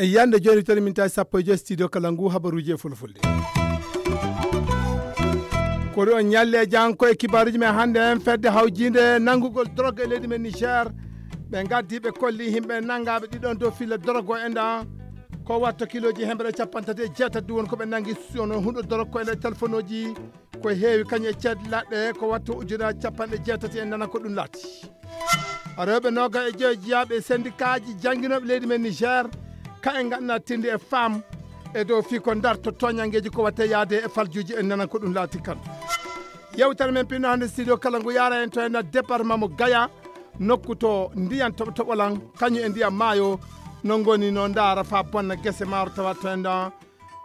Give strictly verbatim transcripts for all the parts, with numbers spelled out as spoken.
E yande joni tan min tawi sappo e joyi studio kala ngu habaruji e fulfulde. Ko ɗo ñalle e jangko e kibaruji men hannde en fedde hawjinde nanngugol drogue e leydi men Niger. Ɓe gaddi ɓe kolli yimɓe nanngaɓe ɗiɗon dow filla drogue o enɗan. Ko watta kiloji hemre capanɗe tati e jeetati ɗum woni ko ɓe nanngi sono huɗo drogue ko e nder téléphone oji. Ko heewi kañum e ceed laɗɗe ko watta ujunaaji capanɗe jeetati en nana ko ɗum laati. Rewɓe noga e joyo jiyaaɓe e sendikaaji jannginooɓe leydi men Niger, ka en ngaɗna tindi e faam e dow fii ko ndarto tooñanngeeji ko watte yaade e faljuuji en nana ko ɗum laati kan. Yewtere men pinno hannde studio kala ngu yaara en to en département mo Gaya, nokku to ndiyan toɓo toɓolan kañum e ndiyan maayo no ngoni no ndaara faa bonna gese maaro tawa to en ɗon.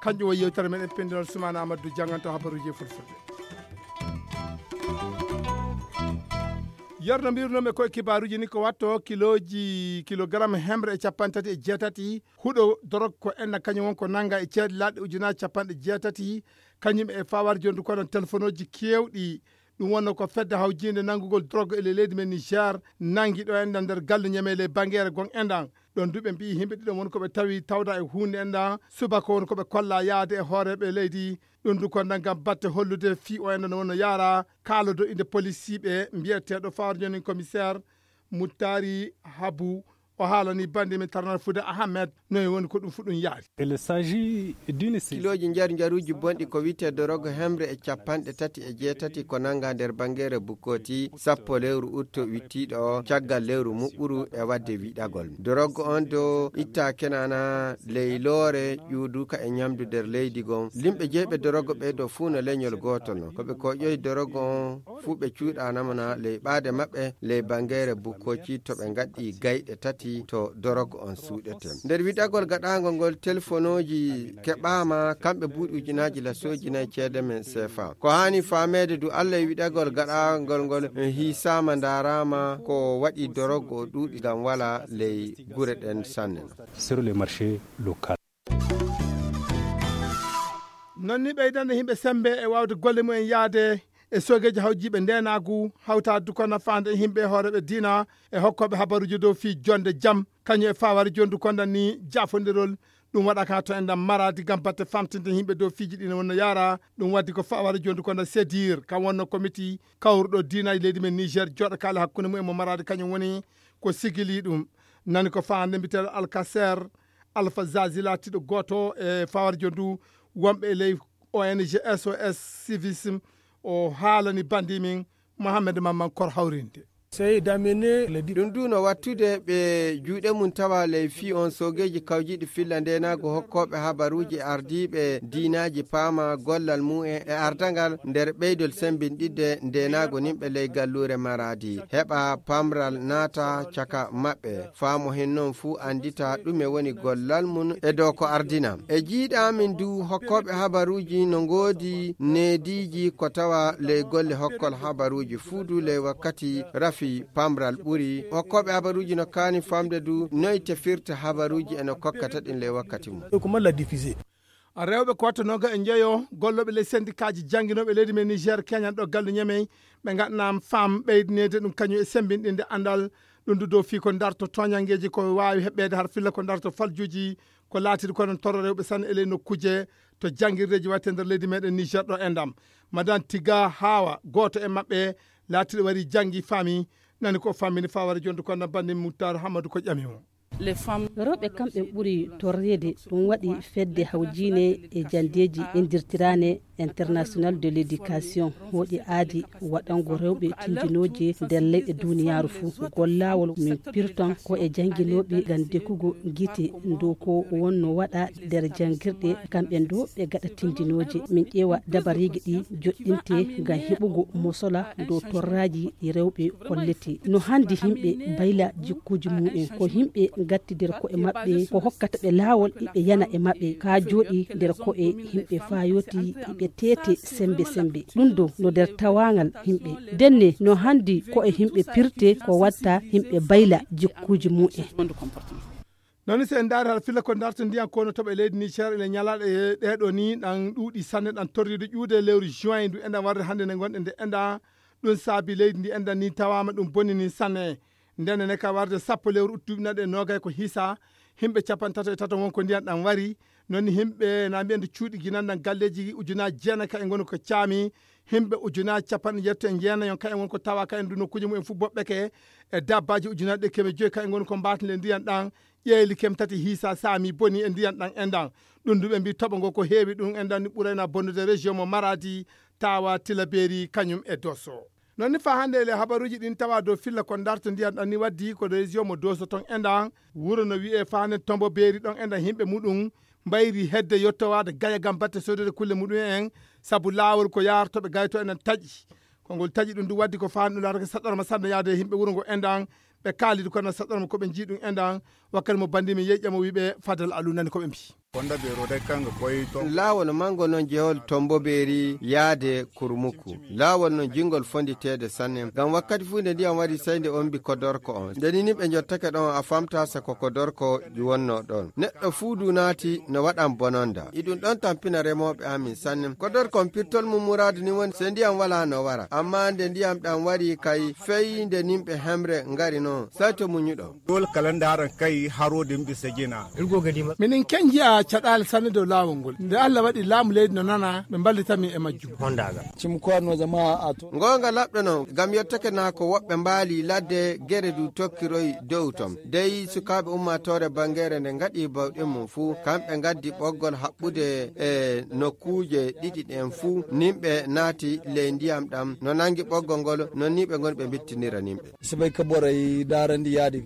Kanƴum woni yewtere men e pindinol Sumaana Amadou Dianganto habaruji e fulfulde. Yerno mbirnomi ko e kibaruji ni ko watto kiloji kilogramme hemre e capanɗe tati e jeetati huɗo dorog ko enna kañum won ko nanga e ceeɗe laɗɗe ujunaaji capanɗe jeetati kañum e fawar jondu kono telefonoji kewɗi. Ɗum wonno ko fedde hawjinde nanngugol drogue e leydi men Niger nanngi ɗo enɗan nder galle ñamele bangere gon enɗan. Ɗon du ɓe mbiyi yimɓe ɗiɗon woni ko ɓe tawi tawda e huunde enɗan subaka woni ko ɓe kolla yaade e hooreɓe leydi. Ɗum du ko nangam batte hollude fii o enɗan wonno yaara kaalodo inde polisiiɓe mbiyeteeɗo fawar jonin commissaire Muttari Habu. O haalani bandi men tarnal fude Ahmed noy woni ko ɗum fu ɗum yaari. Il s'agit d'une série. Kiloji njar njaruji bonɗi ko wiyte dorogo hemre e capanɗe tati e jeetati ko nanga nder bangere bukkoti sappo lewru utto wittiɗo o caggal lewru muɓɓuru e wadde wiɗagol. Dorogo on do itta kenana ley loore ƴuuduka e ñamdu nder leydi gon. Limɓe jeyɓe dorogo ɓe do fuu no leñol gooto no. Ko ɓe koƴoyi dorogo on fuu ɓe cuuɗanama na ley ɓaade maɓɓe ley bangere bukkoci to ɓe ngaɗɗi gayɗe tati to dorog on suuɗete. Nder wiɗagol gaɗangol ngol telefonoji keɓama kamɓe buuɗi ujunaaji lasooji nayi ceede men sefa. Ko haani faameede du Allah e wiɗagol gaɗangol ngol hiisama ndarama ko waɗi dorog o ɗuuɗi ngam wala ley gure ɗen sanne. Sur le marché local. Non ni ɓeydande yimɓe sembe e wawde golle mumen yaade e sogeji hawjiɓe ndenagu hawtade du ko nafaande e yimɓe e hooreɓe diina e hokkoɓe habaruji dow fii jonde jam kañum e fawari jondu kondan ni jafondirol. Ɗum waɗa ka to enɗan maradi gam batte famtinde yimɓe dow fiiji ɗi no wonno yaara. Ɗum waddi ko fawari jondu kondan sedir kam wonno komiti kawruɗo diinaji leydi men Niger joɗo kaali hakkunde mumen mo maradi kañum woni ko sigili ɗum. Nani ko fande mbitel alkaser Alpha Zazi laatiiɗo gooto e fawarjo ndu wonɓe e ley O N G S O S Civisme o haalani bandi min Mohamed Mamman Kor hawrinde. Ɗum du no wattude ɓe juuɗe mum tawa ley fii on soogeeji kawjiiɗi filla ndeenaagu hokkooɓe habaruuji e ardiiɓe diinaaji paama gollal mumen e ardangal nder ɓeydol sembinɗidde ndeenaagu nimɓe ley galluure Maraadi heɓa pamral naata caka maɓɓe. Faa mo hen non fuu anndita ɗume woni gollal mum e dow ko ardina. E jiiɗa amin du hokkooɓe habaruuji no ngoodi neediiji ko tawa ley golle hokkol habaruuji fuu du ley wakkati rafi pamral ɓuri. Hokkooɓe habaruuji no kaani famde du noy tefirta habaruuji e no kokkata ɗin ley wakkati mum. Rewɓe ko watta noga e njeyo gollooɓe ley sendikaaji jannginooɓe leydi men Niger keñan ɗo gallu Ñamey ɓe ngaɗanaama faam ɓeydineede ɗum kañum e semmbinɗinde anndal. Ɗum du dow fii ko ndarto tooñanngeeji ko waawi heɓɓeede har filla ko ndarto faljuuji ko laatiiɗi ko noon torra rewɓe sanne e ley nokkuuje to janngirdeeji waɗte nder leydi meɗen Niger ɗo e ndam. Madan Tiga Haawa gooto e maɓɓe laatiiɗo warii janngi faami nani ko fammini fawara jonde ko na banndi Muttar Hamadu ko ƴami mo. Rewɓe kamɓe ɓuri torreede ɗum waɗi fedde hawjiine e janndeeji inndirtiraane international de l'éducation hooƴi aadi waɗango rewɓe tindinooje nder leyɗe duniyaaru fuu. Ngol laawol min pirton ko e jannginooɓe ngam dekugo gite dow ko wonno waɗa nder janngirɗe kamɓe ɗo ɓe gaɗa tindinooje min ƴeewa dabareeji ɗi joɗɗinte ngam heɓugo mosola dow torraaji ɗi rewɓe kollete. No hannde yimɓe bayla jikkuuji mumen ko yimɓe gatti nder ko'e maɓɓe ko hokkata ɓe laawol iɓe yana e maɓɓe ka jooɗi nder ko'e yimɓe faa yooti iɓe teete sembe sembe. Ɗum ɗo no nder tawaangal yimɓe ndenne no hannde ko'e yimɓe pirte ko watta yimɓe bayla jikkuuji mumen. Noon ni, so en ndaari hara filla ko ndarto ndiyan ko no toɓa e leydi Niger ene ñalaaɗe ɗee ɗoo ni, ɗan ɗuuɗi sanne, ɗan torriiɗo ƴuwde e lewru juin ndu enɗan warde hannde nde ngonɗen nde enɗan. Ɗum saabi leydi ndi enɗan ni tawaama ɗum bonni ni sanne. Nden ne ka warde sappo lewru uttu ɗuuɓi naɗe noogay ko hisa, himɓe capanɗe tato e tato won ko ndiyan ɗan wari. Noon ni himɓe na mbiyan cuuɗi ginanɗan galleeji ujunaaji jeenayi ka en ngoni ko caami. Himɓe ujunaaji capanɗe jeetati e jeenayi on ka en woni ko tawa ka en ndu nokkuuji mumen fof boɓɓeke. E dabbaaji ujunaaji ɗe keme joyi ka en ngoni ko mbaatinde ndiyan ɗan. Ƴeeli kem tati hiisa saami boni e ndiyan ɗan enɗan. Ɗum ndu ɓe mbi toɓo ngo ko heewi ɗum enɗan ni ɓurayna bonnude région mo Maradi, tawa Tilaberi kañum e Dosso. Noon ni fa hannde ele habaruuji ɗin tawa dow filla ko ndarto ndiyan ɗan ni waddi ko région mo Dosso ton enɗan. Wuro no wi'e fa hannde Tombo Beeri ɗon enɗan himɓe muɗum mbayri hedde yottowaade gaya ngam batte soodede kulle muɗum en, sabu laawol ko yaartoɓe gayto enɗan taƴi. Ko ngol taƴi ɗum ndu waddi ko fa hannde ɗum laatake saɗɗorma sanne yaade e himɓe wuro ngo enɗan. Ɓe kaalidi kono saɗɗorma ko ɓe njii ɗum enɗan. Wakkati mo banndi mi yeƴƴa mo wi'ɓe Fadal Alu nani ko ɓe mbi. Konda bero dai kanga koy to. Laawol mango non jehol Tombo Beeri yaade Kurmuku. Laawol non jingol fonditeede sanne. Ngam wakkati fuu nde ndiyam wari sey nde ombi kodorko on. Nde ni nimɓe njottake ɗon a famta se ko kodorko wonno ɗon. Neɗɗo fuu du naati no waɗan bononda. Iɗum ɗon tampina remooɓe amin sanne. Kodorko on pirtol mum muraadu ni woni se ndiyam wala no wara. Amma nde ndiyam ɗam wari kay fey nde nimɓe hemre ngari non. Sey to muñuɗo. Dole kala ndaran kay harode mbi sajina. Minin ken nji'a caɗaale sanne dow laawol ngol. Nde Allah waɗi laamu leydi no nana, ɓe mballita min e majjum. Hondaga. Cim ko no jama'a a to. Ngoonga laɓɗo non, ngam yottake naa ko woɓɓe mbaali ladde, gere du tokkiroy dow ton. Dey sukaaɓe ummaatoore bangeere nde ngaɗi bawɗe mum fuu, kamɓe ngaddi ɓoggol haɓɓude e nokkuuje ɗiɗi ɗen fuu, nimɓe naati ley ndiyam ɗam, no nangi ɓoggol ngol, non ni ɓe ngoni ɓe mbittinira nimɓe. Sibay ka boray daarandi yaadi.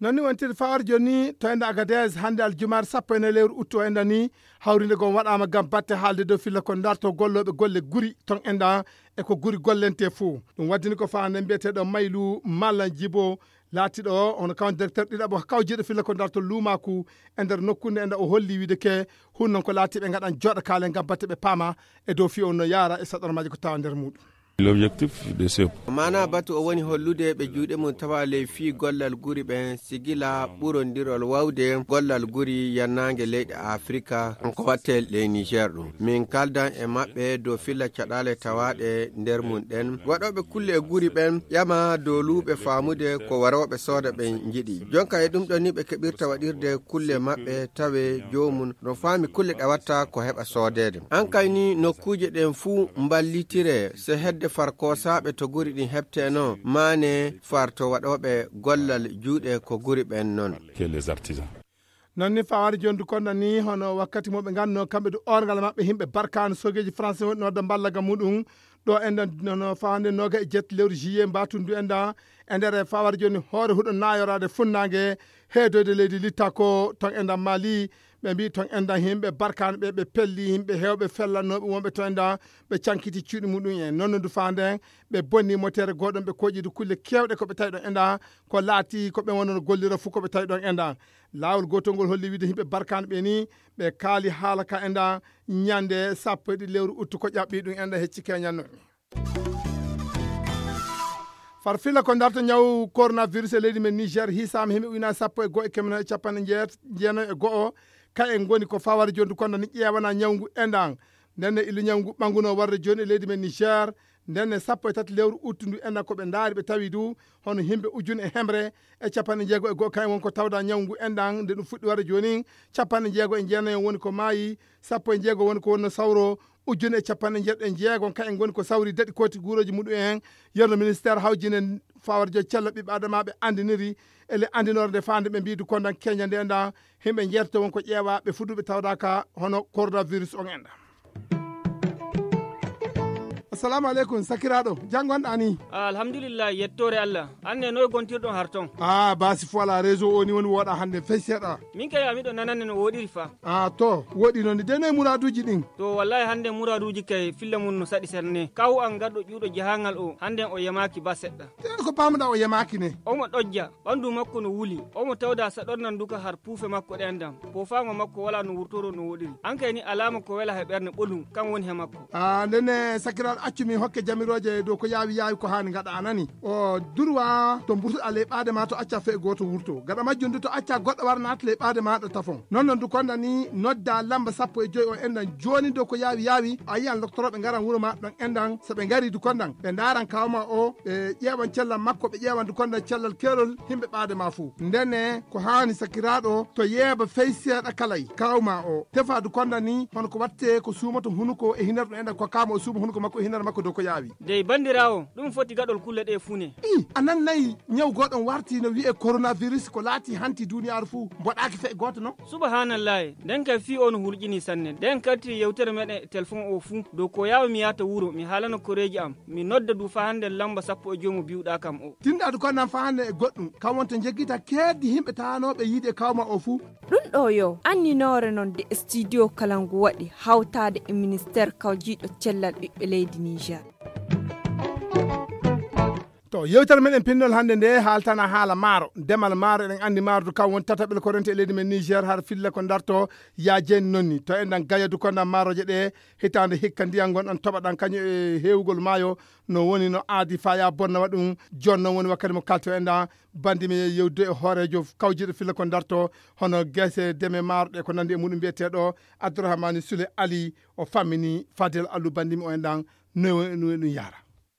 Noon ni wontirde fawar jooni to enda Agadez hannde aljumaare sappo e nayi lewru uttu o enda ni, hawrinde gom waɗaama ngam batte haalde dow filla ko ndarto gollooɓe golle guri ton enda e ko guri gollente fuu. Ɗum waddini ko faande mbiyeteeɗo Maylu Mallan Jibo laatiiɗo o, hono kawan directeur ɗiɗaɓo kawjiiɗo filla ko ndarto luumaaku e nder nokkunde enda o holli wiide ke hun non ko laatiiɓe ngaɗan jooɗa kaale ngam batte ɓe paama e dow fii on no yaara e saɗormaaji ko tawa nder muuɗum. L'objectif de ce Maanaa batu o woni hollude ɓe juuɗe mum tawa ley fii gollal guri ɓen sigila ɓurondirol wawde gollal guri yannaange leyɗe Afrika ko watte ley Niger ɗum. Min kaldan e maɓɓe dow filla caɗaale tawaaɗe nder mum ɗen. Waɗooɓe kulle e guri ɓen ƴama dow luuɓe faamude ko warooɓe sooda ɓe njiɗi. Jonka e ɗum ɗon ni ɓe keɓirta waɗirde kulle maɓɓe tawe joomum no faami kulle ɗe watta ko heɓa soodeede. An kay ni nokkuuje ɗen fuu mballitire se hedde far koosaaɓe to guri ɗin heɓteno maane far to waɗooɓe gollal juuɗe ko guri ɓen non. Que les artisans. Noon ni fawaade jondu konda ni hono wakkati mo ɓe ngannoo kamɓe du orngal maɓɓe himɓe barkaano sogeeji français woni no wadda mballaga muɗum. Ɗo enɗan nono fawande noga e jetti lewru juillet mbatundu enɗan e nder e fawade jooni hoore huɗo nayoraade funnaange heedoyde leydi litta ko ton enɗan Mali. Ɓe mbi ton enɗan himɓe barkaano ɓe ɓe pelli himɓe heewɓe fellannooɓe wonɓe to enɗan ɓe cankiti cuuɗi muɗum en nonno du fawande en ɓe bonni motere gooɗon ɓe koƴidu kulle keewɗe ko ɓe tawi ɗon enɗan ko laati ko ɓe wonono gollira fuu ko ɓe tawi ɗon enɗan. Laawol gootol ngol holli wiide himɓe barkaano ɓe ni ɓe kaali haala ka enɗan ñande sappo e ɗiɗi lewru uttu ko ƴaɓɓi ɗum enɗan hecci keñanno. Farfilla ko darto ñaw coronavirus e leydi men Niger hisaama himɓe ujunaaji sappo e go'o e kemeno e capanɗe jeet- jeenayo e go'o. Ka en ngoni ko fawade jondu kono ni ƴeewana ñawngu enɗan. Nden ne illu ñawngu ɓannguno warde jooni e leydi men Niger. Nden ne sappo e tati lewru uttu ndu enɗan ko ɓe ndaari ɓe tawi du hono himɓe ujune e hemre e capanɗe jeego e go'o kayen won ko tawda ñawngu enɗan nde ɗum fuɗɗi warde jooni. Capanɗe jeego e jeenayo woni ko maayi, sappo e jeego woni ko wonno sawro. Ujune e capanɗe jeeɗiɗo e jeegon ka en ngoni ko sawri daɗi kooti guurooji muɗum en. Yerno ministére hawjine fawarjo cello ɓiɓɓe adamaaɓe anndiniri ele anndinoore nde faande ɓe mbiidu kondan keña nde nda himɓe jeetato won ko ƴeewa ɓe fuduɓe tawdaka hono coronavirus on enɗa. Assalamu aleykum sakiraaɗo, janngonɗa ni? Ah, alhamdulillah, yettoore Allah. Anne noy gontirɗon har ton? Ah, basi fola réseau o ni woni woɗa hannde fey seeɗa. Min kay a miɗo nanande no woɗiri fa. Ah, to woɗi noon de noy muraduuji ɗin? To wallahi hannde muraduuji kay filla mum no saɗi serne. Kaw an garɗo ƴuuɗo jahangal o hannden o yamaaki ba seɗɗa. Te ko pamuɗa o yamaaki ne? Omo ɗojja, ɓanndu makko no wuli. Omo tawda saɗornan duka har puufe makko ɗen dam. Poofaango makko walaa no wurtoro no woɗiri. An kay ni alaama ko wela he ɓernde ɓolum kan woni he makko. Ah, ndenne sakiraaɗo Accu min hokke jamirooje dow ko yaawi yaawi ko haani ngaɗa a nani. O durwa to mburtuɗa ley ɓaade ma to acca fee gooto wurto. Gaɗa majjum du to acca goɗɗo wara naata ley ɓaade ma ɗo tafon. Non non du konda ni nodda lamba sappo e joy o endan jooni dow ko yaawi yaawi a yiyan loktorooɓe ngaran wuro ma ɗon endan so ɓe ngari du kondan ɓe ndaaran kawma o ɓe ƴeewan cellal makko ɓe ƴeewan du kondan cellal keerol himɓe ɓaade ma fuu. Ndene ko haani sakiraaɗo to yeeba fey seeɗa kalay kawma o tefa du kondan ni hono ko watte ko suumoto hunuko e hinar ɗum endan ko kama o suuma hunuko makko e hinar makko dow ko yaawi. Dey banndiraawo, ɗum foti gaɗol kulle ɗee fuu ne. I, a nannayi ñaw gooɗon warti no wi'ee coronavirus ko laati hanti duuniyaaru fuu, mboɗaaki fe'e gooto non? Subahanallahi, nden kay fii oo no hulƴinii sanne. Nden kartiri yewtere meɗen e telefon oo fuu, dow ko yaawi mi yaata wuro, mi haalana koreeji am, mi nodda du faa hannden lamba sappo e joy mo bi'uɗaa kam oo. Tindaadu ko nan faa hannden e goɗɗum, kam wonto njeggita keeddi himɓe taanooɓe yiide e kawma oo fuu. Ɗum ɗoo yo anninoore non de studio kala ngu waɗi hawtaade e ministeer kawjiiɗo cellal ɓiɓɓe leydi Niger. To yewtere meɗen pinnol hannde nde haaltana haala maaro, demal maaro, eɗen anndi maaro to kam won tataɓel ko rente e leydi men Niger, har filla ko darto yaajeeni noon ni. To enɗan gayadu ko nan maaroje ɗe hitaande hikka ndiyam ngon ɗan toɓa ɗan kañum e heewugol maayo no woni no aadi faya bonna waɗum. Jooni noon woni wakkati mo kalto enɗan bandi mi yewdude e hooreejo kawjiiɗo filla ko darto hono gese deme maaro ɗe ko nanndi e muɗum mbiyeteeɗo Abdourahmane Soule Ali. O fammini Fadel Allu bandi mi o enɗan no no ɗum yaara.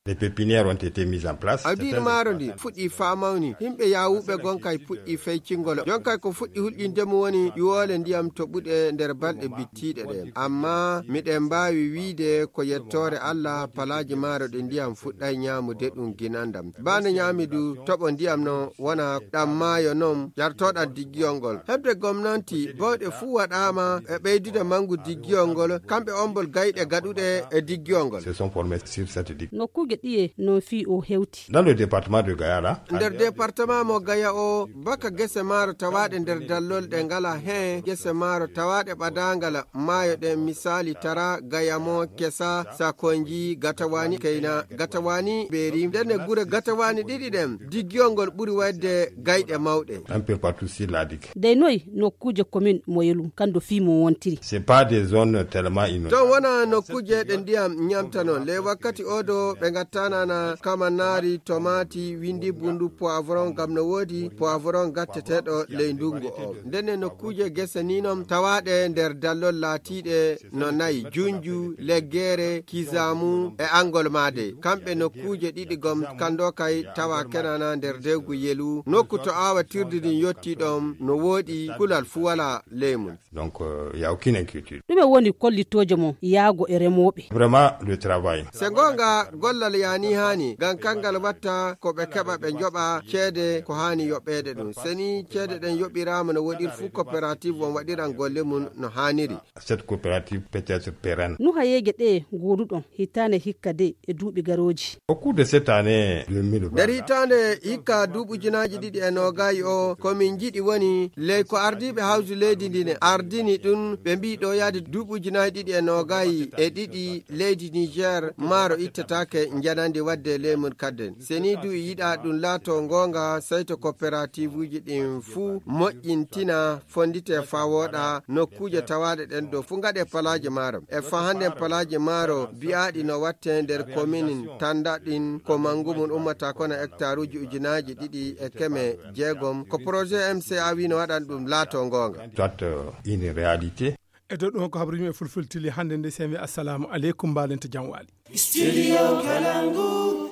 Les pépinières ont été mises en place. Awdiiɗi maaro ndi fuɗɗii faa mawni. Himɓe yaawuɓe gonkay puɗɗii feycingol. Jonkay ko fuɗɗi hulƴinde mum woni ƴuwoole ndiyam toɓuɗe nder balɗe bittiiɗe ɗe. Amma miɗen mbaawi wiide ko yettoore Allah palaaji maaro ɗe ndiyam fuɗɗay ñaamude ɗum ginandam. Baa nde ñaami du toɓo ndiyam non wona ɗam maayo non ƴartooɗam diggiyol ngol. Heɓde gomnanti bawɗe fuu waɗaama e ɓeydude manngu diggiyol ngol, kamɓe ombol gayɗe gaɗuɗe e diggiyol ngol. Se sont formés sur cette digue. Nokkuuje ɗiye no fii o hewti. Dans le département de Gaya là, nder département mo Gaya o, baka gese maaro tawaaɗe nder dallol ɗe ngala heen, gese maaro tawaaɗe ɓadaangal maayo ɗen, misaali Tara, Gayamo, Kesa, Sakonji, Gatawani, Keyna, Gatawani, Beeri. Ndenne gure Gatawani ɗiɗi ɗen, diggiyol ngol ɓuri waɗde gayɗe mawɗe. Un peu partout sur la digue. Dey noy nokkuuje commune mo Yelu, kan do fii mo wontiri. C'est pas des zones tellement inondables. Ton wona nokkuuje ɗe ndiyam ñamta non. Ley wakkati o do ɓe ngattana na kamanaari, tomati, windi bundu, poivron, ngam no woodi poivron gatteteeɗo ley ndungu o. Ndenne nokkuuje gese ni non tawaaɗe nder dallol laatiiɗe no nayi, Junju, Leggere, Kizamu e Angol Maade. Kamɓe nokkuuje ɗiɗi gom kando kay tawa kenana nder dewgu Yelu. Nokku to aawatirdi ndin yotti ɗon no woodi, kulal fuu wala ley mum. Donc, euh, il y a aucune inquiétude. Ɗume woni kollitooje mon yaago e remooɓe? Vraiment, le travail. Se goonga, gollal yaani haani, ngam kanngal watta ko ɓe keɓa ɓe njoɓa ceede ko haani yoɓeede ɗum. Se ni ceede ɗen yoɓiraama no woɗir fuu, coopérative on waɗiran golle mum no haaniri. Cette coopérative peut être pérenne. No hayeeje ɗe ngooduɗon hitaande hikka de e duuɓi garooji? Au cours de cette année deux mille vingt, nder hitaande hikka duuɓi ujunaaji ɗiɗi e noogayi o, ko min njiɗi woni ley ko ardiiɓe hawju leydi ndin ardini ɗum, ɓe mbii ɗo yaade duuɓi ujunaaji ɗiɗi e noogayi e ɗiɗi leydi Niger maaro ittataake njanandi waɗde ley mum kadden. Se ni du yiɗaa ɗum laato goonga, sey to coopérativuuji ɗin fuu moƴƴintina, fonndite faa wooɗa, nokkuuje tawaaɗe ɗen dow fuu ngaɗe palaaji maaro. E faa hannden palaaji maaro biyaaɗi no watte nder kominin tannda ɗin ko manngu mum ummata kono hektaruuji ujunaaji ɗiɗi e keme jeegom. Ko projet M C A wii no waɗan ɗum laato goonga. Soit, euh, une réalité. E dow ɗum ko habaruuji men fulfultili hannde nde, semi assalamu aleykum, mbaɗen to jam waali. Studio Kalangu.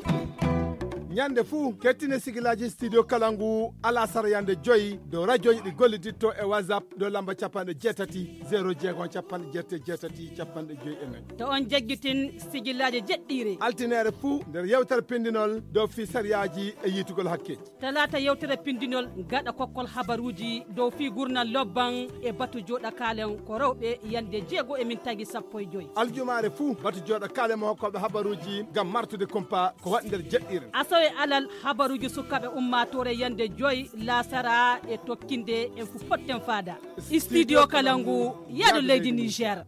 Ñande fuu, kettine sigilaaji Studio Kalangu, alasara yande joyi, dow rajooji ɗi golliditto e WhatsApp, dow lamba capanɗe jeetati, zéro jeegom, capanɗe jeetati, capanɗe joyi e nayi. To on jaggitin sigilaaji jeɗɗiire. Altineere fuu, nder yewtere pindinol, dow fii sariyaaji e yiitugol hakkeeji. Talaata yewtere pindinol gaɗa kokkol habaruuji dow fii gurnal lobban e batu jooɗa kaalen ko rewɓe yande jeego e mintaaji sappo e joy. Aljumaare fuu batu jooɗa kaalen mo hokkooɓe habaruuji ngam martude kumpa ko waɗi nder jeɗɗiire. Asawe alal habaruuji sukaaɓe ummaatoore yande joy laasara e tokkinde en fu potten faada. Studio Kalangu, yaadu leydi Niger.